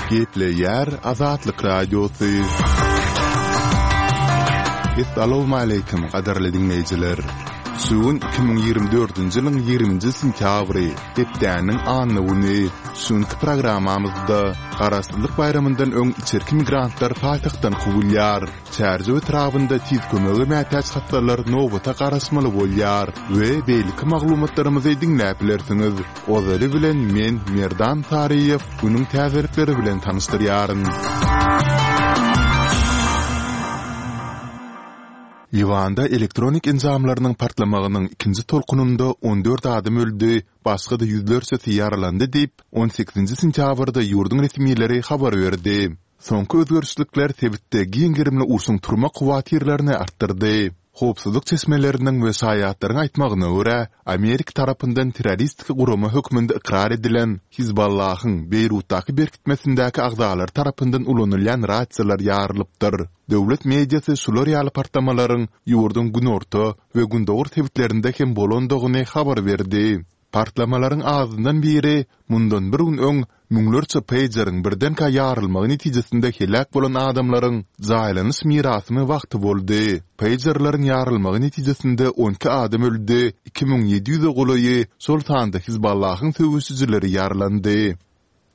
Gepleýär Azatlyk Radiosy. Essalawmaleýkim, gadyrly diňleýjiler! Şu gün 2024-nji ýylyň 20-nji sentýabry, hepdäniň anna güni. Şu günki programmamyzda Garaşsyzlyk baýramyndan öň içerki migrantlar paýtagtdan kowulýar. Çärjew etrabynda tiz kömege mätäç hassalar nobata garaşmaly bolýar we beýleki maglumatlarymyzy diňläp bilersiňiz. Ozaly bilen men Merdan Saryýew günüň täzelikleri bilen tanyşdyrýaryn. Liwanda elektronik enjamlarynyň partlamagynyň ikinji tolkunynda 14 adam öldi, başga-da ýüzlerçesi ýaralandy diýip, on sekizinji sentýabrda ýurduň resmileri habar berdi. Soňky özgerişlikler sebitde giň gerimli urşuň turmak howatyrlaryny artdyrdy. Howpsuzlyk çeşmeleriniň we şaýatlaryň aýtmagyna görä, Amerika tarapyndan terroristik gurama hökmünde ykrar edilen Hizballahyň Beýrutdaky berkitmesindäki agzalary tarapyndan ulanylýan rasiýalar ýarylypdyr. Döwlet mediasy şular ýaly partlamalaryň ýurduň günorta we gündogar sebitlerinde hem bolandygyny habar berdi. Partlamalaryň azyndan biri mundan bir gün öň müňlerçe peýjeriň birdenkä ýarylmagy netijesinde heläk bolan adamlaryň jaýlanyş mirasymy wagty boldy. Peýjerleriň ýarylmagy netijesinde 12 adam öldi, 2700-e golaýy, şol sanda Hizballahyň söweşijileri ýaralandy.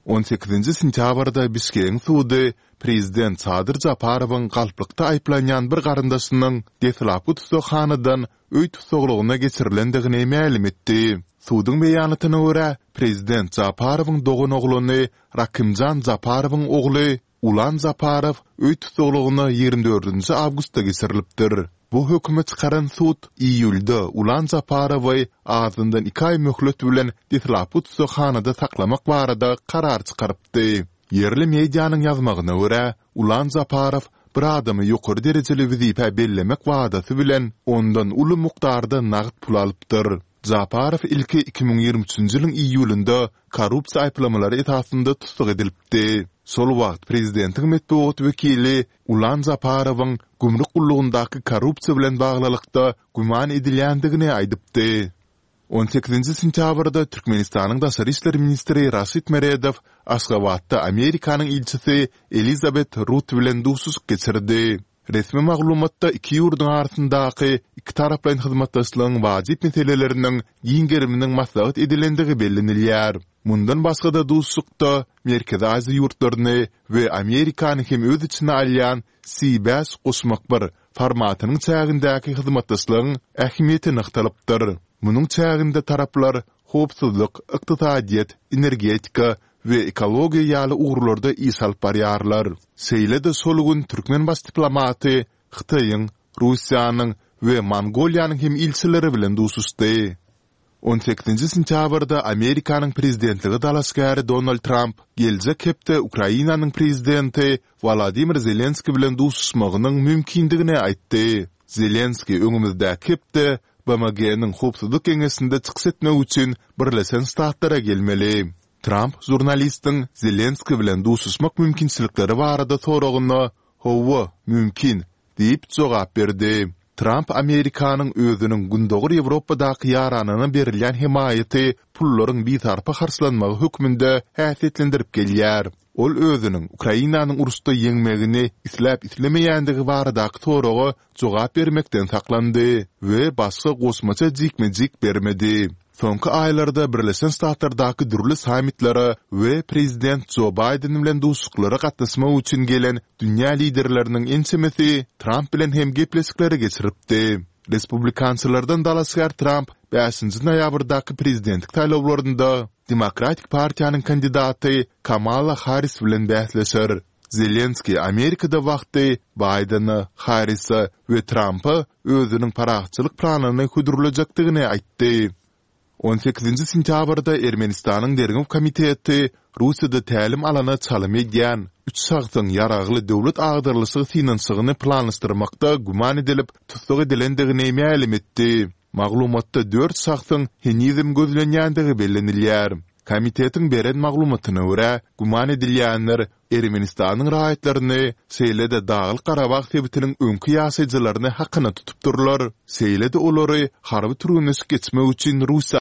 On sekizinji sentýabrda Bişkegiň sudy prezident Sadyr Japarowyň galplykda aýyplanýan bir garyndaşynyň deslapky tussaghanadan öý tussaglygyna geçirilendigini mälim etdi. Suduň beýanatyna görä, prezident Japarowyň doganoglany Rakymjan Japarowyň ogly Ulan Japarow öý tussaglygyna 24 nji awgustda geçirilipdir. Bu hökümi çykaran sud iýulda Ulan Japarowy azyndan iki aý möhlet bilen deslapky tussaghanada saklamak barada karar çykarypdy. Ýerli medianyň ýazmagyna görä, Ulan Japarow bir adamy ýokary derejeli wezipä bellemek wadasy bilen ondan uly mukdarda nagt pul alypdyr. Japarow ilki 2023-nji ýylyň iýulynda korrupsiýa aýyplamalary esasynda tussag edilipdi. Şol wagt prezidentiň metbugat wekili Ulan Japarowyň gümrük gullugyndaky korrupsiýa bilen baglylykda güman edilýändigini aýdypdy. On sekizinji sentýabrda Türkmenistanyň daşary işler ministri Raşid Meredow Aşgabatda Amerikanyň ilçisi Elizabet Rut bilen duşuşyk geçirdi. Resmi maglumatda iki ýurduň arasyndaky ikitaraplaýyn hyzmatdaşlygyň wajyp meseleleriniň giň geriminiň maslahat edilendigi bellenilýär. Mundan başga-da duşuşykda Merkezi Aziýa ýurtlaryny we Amerikany hem öz içine alýan C bäş goşmak bir formatynyň çägindäki hyzmatdaşlygyň ähmiýeti nygtalypdyr. Munuň çäginde taraplar howpsuzlyk, ykdysadyýet, energetika we ekologiýa ýaly ugurlarda iş alyp barýarlar. Şeýle-de şol gün türkmen baş diplomaty Hytaýyň, Russiýanyň we Mongoliýanyň hem ilçileri bilen duşuşdy. On sekizinji sentýabrda Amerikanyň prezidentlige dalaşgäri Donald Tramp geljek hepde Ukrainanyň prezidenti Wolodymyr Zelenskiý bilen duşuşmagynyň mümkindigini aýtdy. Zelenskiý öňümizdäki hepde BMG-niň Howpsuzlyk Geňeşinde çykyş etmek üçin Birleşen Ştatlara gelmeli. Tramp žurnalistiň Zelenskiý bilen duşuşmak mümkinçilikleri barada soragyna, Hawa, mümkin, diýip jogap berdi. Tramp Amerikanyň özüniň Gündogar Ýewropadaky ýaranyna berilýän hemaýaty pullaryň bisarpa harçlanmagy hökmünde häsiýetlendirip gelýär. Ol özüniň Ukrainanyň uruşda ýeňmegini isläp-islemeýändigi baradaky soraga jogap bermekden saklandy we başga goşmaça jikme-jik bermedi. Soňky aýlarda Birleşen Ştatlardaky dürli sammitlere we prezident Jo Baýden bilen duşuşyklara gatnaşmak üçin gelen dünýä liderleriniň ençemesi Tramp bilen hem gepleşikleri geçiripdi. Respublikançylardan dalaşgär Tramp bäşinji noýabrdaky prezidentlik saýlawlarynda Demokratik partiýanyň kandidaty Kamala Harris bilen bäsleşer. Zelenskiý Amerikada wagty Baýdene, Harrise we Trampa özüniň parahatçylyk planyny hödürlejekdigini aýtdy. On sekizinji sentýabrda Ermenistanyň Derňew komiteti Russiýada tälim alana çalym edýän üç şahsyň ýaragly döwlet agdarylyşygy synanyşygyny planlaşdyrmakda güman edilip tussag edilendigini mälim etdi. Maglumatda dört şahsyň henizem gözlenýändigi bellenilýär. Komitetiň beren maglumatyna görä, güman edilýänler Ermenistanyň raýatlaryny, şeýle-de Daglyk-Garabag sebitiniň öňki ýaşaýjylaryny hakyna tutupdyrlar, şeýle-de olary harby türgenleşik geçmek üçin Russiýa.